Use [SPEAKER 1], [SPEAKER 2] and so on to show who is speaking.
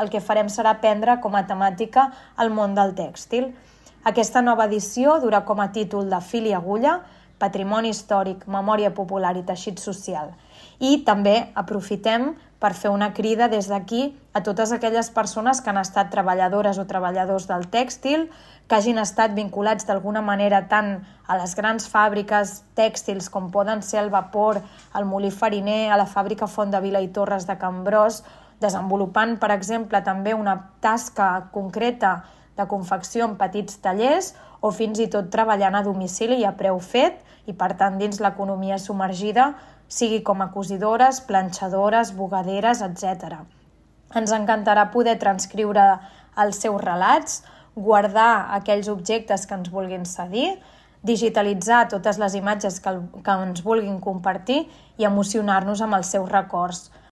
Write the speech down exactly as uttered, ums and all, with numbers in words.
[SPEAKER 1] el que farem serà prendre com a temàtica el món del tèxtil. Aquesta nova edició durà com a títol de Fil i agulla, Patrimoni històric, memòria popular i teixit social. I també aprofitem per fer una crida des d'aquí a totes aquelles persones que han estat treballadores o treballadors del tèxtil, que hagin estat vinculats d'alguna manera tant a les grans fàbriques tèxtils com poden ser el Vapor, el Molí Fariner, a la fàbrica Font-de-Vila i Torres de Can Bros, desenvolupant, per exemple, també una tasca concreta de confecció en petits tallers o fins i tot treballant a domicili i a preu fet i, per tant, dins l'economia submergida, sigui com a cosidores, planxadores, bugaderes, etcètera. Ens encantarà poder transcriure els seus relats, guardar aquells objectes que ens vulguin cedir, digitalitzar totes les imatges que, que ens vulguin compartir i emocionar-nos amb els seus records.